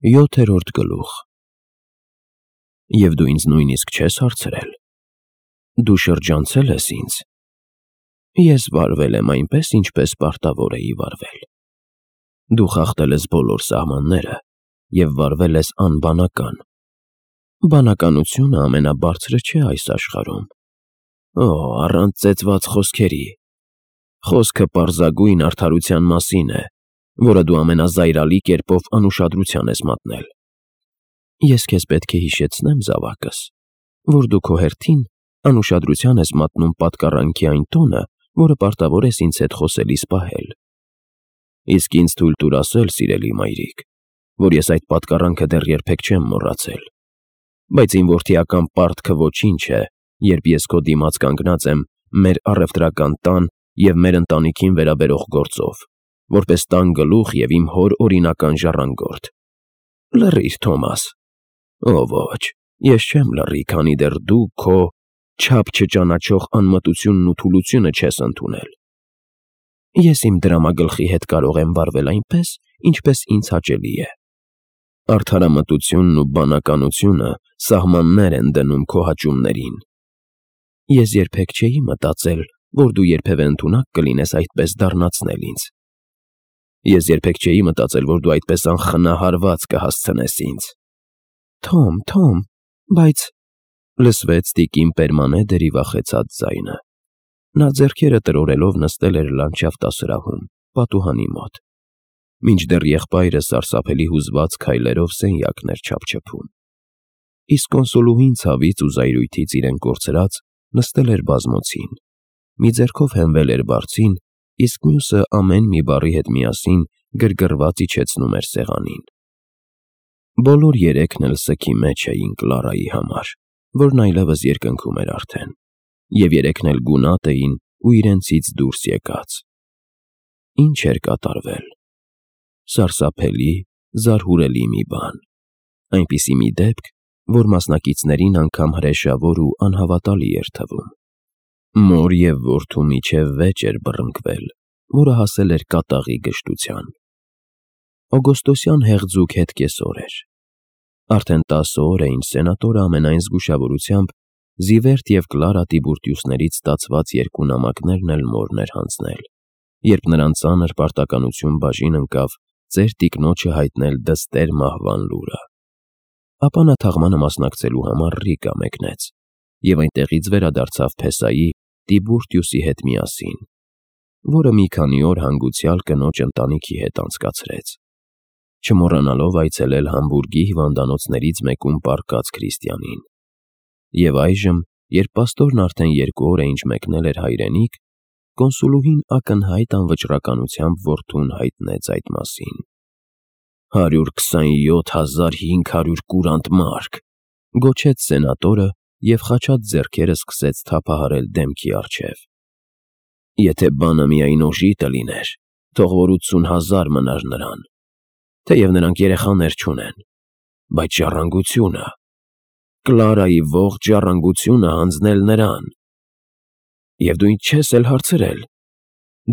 7-րդ գլուխ։ Եվ դու ինձ նույնիսկ չես հարցրել. դու շրջանցել ես ինձ։ Ես վարվել եմ այնպես, ինչպես պարտավոր էի վարվել։ Դու խախտել ես բոլոր սահմանները և վարվել ես անբանական։ Բանականությունը ամենաբարձրը չէ այս աշխարհում։ Օ, առանց ծեծված խոսքերի։ Խոսքը պարզագույն արդարության մասին է, որը դու ամենազայրալի կերպով անուշադրության ես մատնել։ Ես քեզ պետք է հիշեցնեմ, զավակս, որ դու քո հերթին անուշադրության ես մատնում պատկառանքի այն տոնը, որը պարտավոր ես ինձ հետ խոսելիս պահել։ Իսկ ինձ թույլ տուր ասել, սիրելի մայրիկ, որ ես այդ պատկառանքը դեռ երբեք չեմ մոռացել։ Բայց իմ որդիական պարտքը ոչինչ է, երբ ես քո դիմաց կանգնած եմ մեր առևտրական տան և մեր ընտանիքին վերաբերող գործով, որպես տան գլուխ և իմ հոր օրինական ժառանգորդ։ Լռիր, Թոմաս։ Ո ոչ, ես չեմ լռի, քանի դեռ դու քո չափ չճանաչող անմտությունն ու թուլությունը չես ընդունել։ Ես իմ դրամագլխի հետ կարող եմ վարվել այնպես, ինչպես ինձ հաճելի է։ Արդարամտությունն ու բանականությունը սահմաններ են դնում քո հաճույքներին։ Ես երբեք չէի մտածել, որ դու երբևէ ընդունակ կլինես այդպես դառնացնել ինձ։ Ես երբեք չէի մտածել, որ դու այդպես անխնահարված կհասցնես ինձ։ Թոմ, բայց… լսվեց տիկին Պերմանեդերի վախեցած ձայնը։ Նա ձեռքերը տրորելով նստել էր լանդշաֆտասրահում, պատուհանի մոտ, մինչդեռ եղբայրը սարսափելի հուզված քայլերով սենյակն էր չափչփում։ Իսկ կոնսոլուհին ցավից ու զայրույթից իրեն կորցրած նստել էր բազմոցին, մի ձեռքով հենվել էր բարձին, իսկ մյուսը ամեն մի բառի հետ միասին գրգռված իջեցնում էր սեղանին։ Բոլոր երեքն էլ սգի մեջ էին Կլարայի համար, որն այլևս երկնքում էր արդեն, և երեքն էլ գունատ էին ու իրենցից դուրս եկած։ Ինչ էր կատարվել։ Սարսափելի, զարհուրելի մի բան, այնպիսի մի դեպք, որ մասնակիցներին անգամ հրեշավոր ու անհավատալի էր թվում։ Մոր և որդու միջև վեճ էր բռնկվել, որը հասել էր կատաղի գժտության։ Օգոստոսյան հեղձուկ հետկեսօր էր։ Արդեն 10 օր է, ինչ սենատորը ամենայն զգուշավորությամբ Զիվերտ և Կլարա Տիբուրտիուսներից ստացված 2 նամակներն էլ մորն էր հանձնել, երբ նրան ծանր պարտականություն բաժին ընկավ ծեր տիկնոջը հայտնել դստեր մահվան լուրը։ Ապա նա թաղմանը մասնակցելու համար Ռիկա մեկնեց և այնտեղից վերադարձավ Փեսայի Տիբուրտիուսի հետ միասին, որը մի քանի օր հանգուցյալ կնոջ ընտանիքի հետ անցկացրեց, չմոռանալով այցելել Համբուրգի հիվանդանոցներից մեկում պառկած Քրիստիանին։ Եվ այժմ, երբ պաստորն արդեն 2 օր է ինչ մեկնել էր հայրենիք, կոնսուլուհին ակնհայտ անվճռականությամբ որդուն հայտնեց այդ մասին։ 127,500 կուրանտ մարկ, գոչեց սենատորը և խաչած ձեռքերը սկսեց թափահարել դեմքի առջև։ Եթե բանը միայն օժիտը լիներ, թող որ 80,000 մնար նրան, թեև նրանք երեխաներ չունեն, բայց ժառանգությունը… Կլարայի ողջ ժառանգությունը հանձնել նրան։ Եվ դու ինձ չես էլ հարցրել,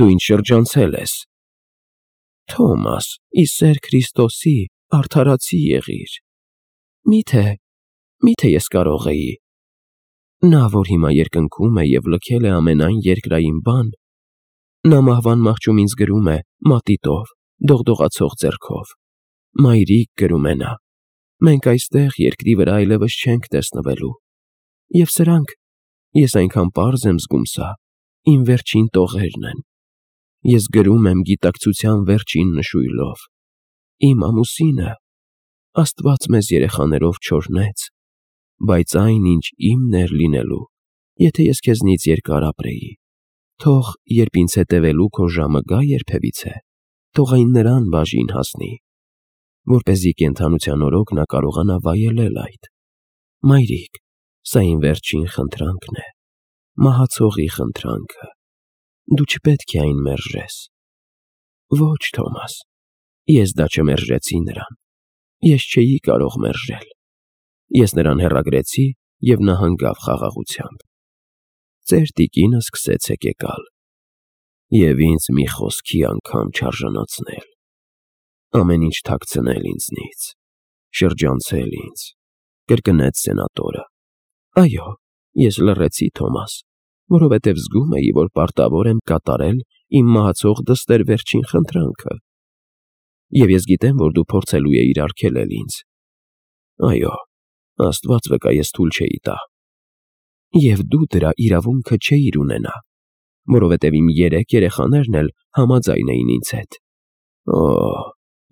դու ինձ շրջանցել ես։ Թոմաս, ի սեր Քրիստոսի, արդարացի եղիր։ Միթե ես կարող էի… Նա, որ հիմա երկնքում է և լքել է ամենայն երկրային բան, նա մահվան մահճում ինձ գրում է մատիտով, դողդողացող ձեռքով. «Մայրիկ», գրում է նա, «մենք այստեղ երկրի վրա այլևս չենք տեսնվելու»։ Եվ սրանք, ես այնքան պարզ եմ զգում սա, իմ վերջին տողերն են։ Ես գրում եմ գիտակցության վերջին նշույլով. իմ ամուսինը… Աստված մեզ երեխաներով չօրհնեց, բայց այն, ինչ իմն էր լինելու, եթե ես քեզնից երկար ապրեի, թող, երբ ինձ հետևելու քո ժամը գա երբևիցե, թող այն նրան բաժին հասնի, որպեսզի կենդանության օրոք նա կարողանա վայելել այդ։ Մայրիկ, սա իմ վերջին խնդրանքն է, մահացողի խնդրանքը, դու չպետք է այն մերժես։ Ոչ, Թոմաս, ես դա չմերժեցի նրան, ես չէի կարող մերժել։ Ես նրան հեռագրեցի և նա հանգավ խաղաղությամբ։ Ծեր տիկինը սկսեց հեկեկալ և ինձ մի խոսքի անգամ չարժանացնել, ամեն ինչ թաքցնել ինձնից։ շրջանցել ինձ, կրկնեց սենատորը։ Այո, ես լռեցի, Թոմաս, որովհետև զգում էի, որ պարտավոր եմ կատարել իմ մահացող դստեր վերջին խնդրանքը։ Եվ ես գիտեմ, որ դու փորձելու էիր արգելել ինձ։ Այո, Աստված վկա, ես թույլ չէի տա։ Եվ դու դրա իրավունքը չէիր ունենա, որովհետև իմ 3 երեխաներն էլ համաձայն էին ինձ հետ։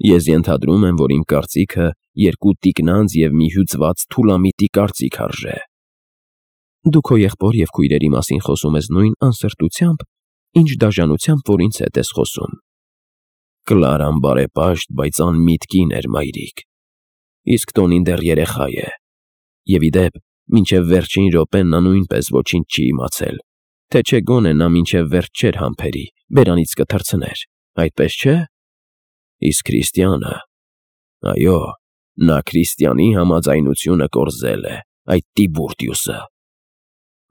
Ես ենթադրում եմ, որ իմ կարծիքը 2 տիկնանց և մի հյուծված թուլամիտի կարծիք արժե։ Դու քո եղբոր և քույրերի մասին խոսում ես նույն անսրտությամբ, ինչ դաժանությամբ, որ ինձ հետ ես խոսում։ Կլարան բարեպաշտ, բայց անմիտ կին էր, մայրիկ։ Իսկ Տոնին դեռ երեխա է։ Եվ ի դեպ, մինչև վերջին րոպեն նա նույնպես ոչինչ չի իմացել, թե չէ գոնե նա մինչև վերջ չէր համբերի, բերանից կթռցներ, այդպես չէ։ Իսկ Քրիստիանը, այո, նա Քրիստիանի համաձայնությունը կորզել է, այդ Տիբուրտիուսը։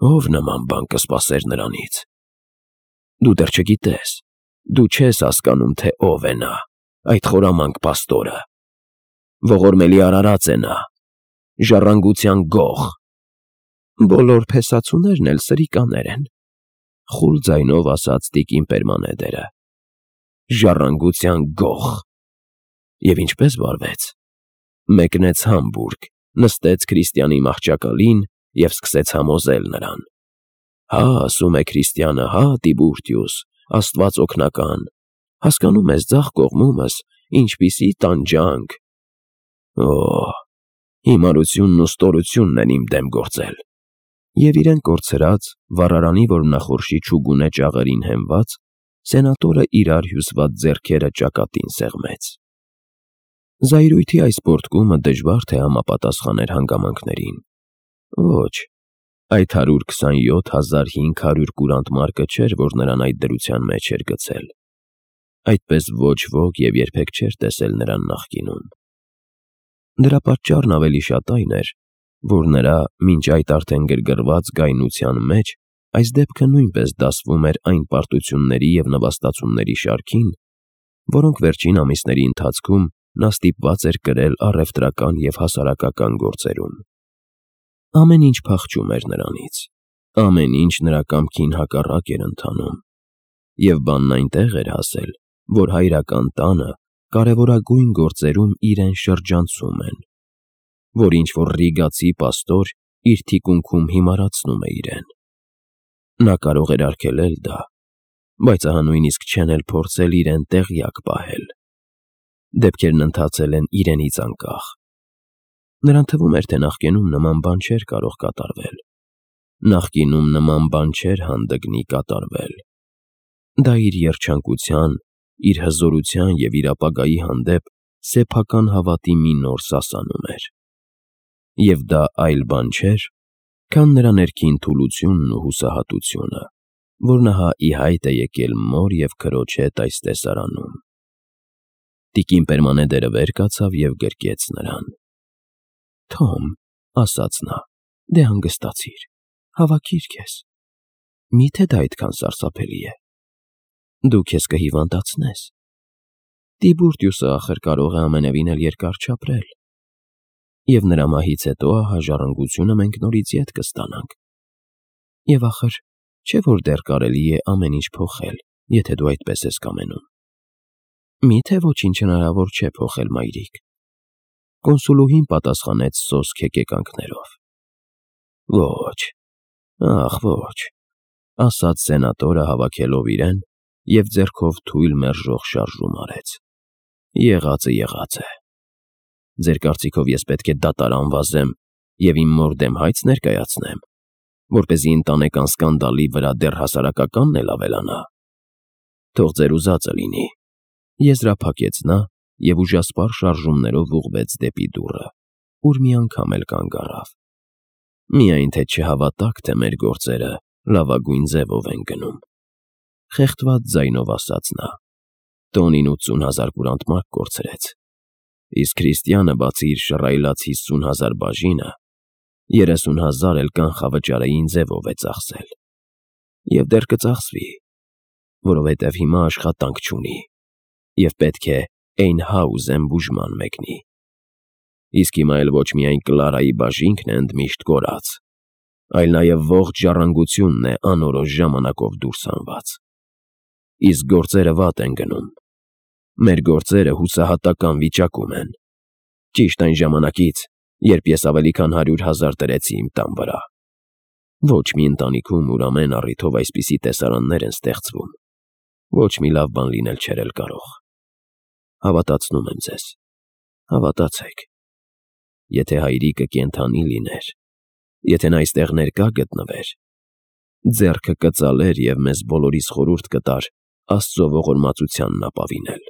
Ով նման բան կսպասեր նրանից։ Դու դեռ չգիտես, դու չես հասկանում, թե ով է նա, այդ խորամանկ պաստորը։ Ողորմելի արարած է նա, ժառանգության գող։ Բոլոր փեսացուներն էլ սրիկաներ են, խուլ ձայնով ասաց տիկին Պերմանեդերը։ Ժառանգության գող։ Եվ ինչպես վարվեց։ Մեկնեց Համբուրգ, նստեց Քրիստիանի մահճակալին և սկսեց համոզել նրան։ Հա, ասում է Քրիստիանը, հա, Տիբուրտիուս, Աստված օգնական, հասկանում ես ձախ կողմումս, ինչպիսի տանջանք։ Հիմարությունն ու ստորությունն են իմ դեմ գործել։ Եվ իրեն կորցրած, վառարանի որմնախորշի չուգունե ճաղերին հենված, սենատորը իրար հյուսված ձեռքերը ճակատին սեղմեց։ Զայրույթի այս պոռթկումը դժվար թե համապատասխաներ հանգամանքներին։ Ոչ, այդ 127,500 կուրանտ մարկը չէր, որ նրան այդ դրության մեջ էր գցել։ Այդպես ոչ ոք և երբեք չէր տեսել նրան նախկինում։ Դրա պատճառն ավելի շատ այն էր, որ նրա մինչ այդ արդեն գրգռված գայնության մեջ այս դեպքը նույնպես դասվում էր այն պարտությունների և նվաստացումների շարքին, որոնք վերջին ամիսների ընթացքում նա ստիպված էր կրել առևտրական և հասարակական գործերում։ Ամեն ինչ փախչում էր նրանից, ամեն ինչ նրա կամքին հակառակ էր ընթանում, և բանն այնտեղ էր հասել, որ հայրական տանը կարևորագույն գործերում իրեն շրջանցում են, որ ինչ-որ ռիգացի պաստոր իր թիկունքում հիմարացնում է իրեն։ Նա կարող էր արգելել դա, բայց ահա նույնիսկ չեն էլ փորձել իրեն տեղյակ պահել։ Դեպքերն ընթացել են իրենից անկախ։ Նրան թվում էր, թե նախկինում նման բան չէր կարող կատարվել։ Նախկինում նման բան չէր հանդգնի կատարվել։ Դա իր երջանկության, իր հզորության և իր ապագայի հանդեպ սեփական հավատի մի նոր սասանում էր։ Եվ դա այլ բան չէր, քան նրա ներքին թուլությունն ու հուսահատությունը, որն ահա ի հայտ է եկել մոր և քրոջ հետ այս տեսարանում։ Տիկին Պերմանեդերը վեր կացավ և գրկեց նրան։ Թոմ, ասաց նա, դե հանգստացիր, հավաքիր քեզ։ Միթե դա այդքան սարսափելի է։ Դու քեզ կհիվանդացնես։ Տիբուրտիուսը ախր կարող է ամենևին էլ երկար չապրել։ Եվ նրա մահից հետո ահա ժառանգությունը մենք նորից ետ կստանանք։ Եվ ախր, չէ՞ որ դեռ կարելի է ամեն ինչ փոխել, եթե դու այդպես ես կամենում։ Միթե ոչինչ հնարավոր չէ փոխել, մայրիկ։ Կոնսուլուհին պատասխանեց սոսկ հեկեկանքներով։ Ոչ, ախ ոչ, ասաց սենատորը հավաքելով իրեն և ձեռքով թույլ մերժող շարժում արեց։ Եղածը եղած է։ Ձեր կարծիքով ես պետք է դատարան վազեմ և իմ մոր դեմ հայց ներկայացնեմ, որպեսզի ընտանեկան սկանդալի վրա դեռ հասարակականն էլ ավելանա։ Թող ձեր ուզածը լինի։ Եզրափակեց նա և ուժասպառ շարժումներով ուղղվեց դեպի դուռը, ուր մի անգամ էլ կանգ առավ։ Միայն թե չհավատաք, թե մեր գործերը լավագույն ձևով են գնում։ Խեղդված ձայնով ասաց նա։ Տոնին 80,000 կուրանտ մարկ կորցրեց, իսկ Քրիստիանը բացի իր շռայլած 50,000 բաժինը, 30,000 էլ կանխավճարային ձևով է ծախսել։ Եվ դեռ կծախսվի, որովհետև հիմա աշխատանք չունի և պետք է Էյնհաուզեն բուժման մեկնի։ Իսկ հիմա էլ ոչ միայն Կլարայի բաժինքն է ընդմիշտ կորած, այլ նաև ողջ ժառանգությունն է անորոշ ժամանակով դուրս հանված։ Իսկ գործերը վատ են գնում։ Մեր գործերը հուսահատական վիճակում են։ Ճիշտ այն ժամանակից, երբ ես ավելի քան 100,000 դրեցի իմ տան վրա։ Ոչ մի ընտանիքում, ուր ամեն առիթով այսպիսի տեսարաններ են ստեղծվում, ոչ մի լավ բան լինել չէր էլ կարող։ Հավատացնում եմ ձեզ, հավատացեք։ Եթե հայրիկը կենդանի լիներ, եթե նա այստեղ ներկա գտնվեր, ձեռքը կծալեր և մեզ բոլորիս խորհուրդ կտար Աստծո ողորմածությանն ապավինել։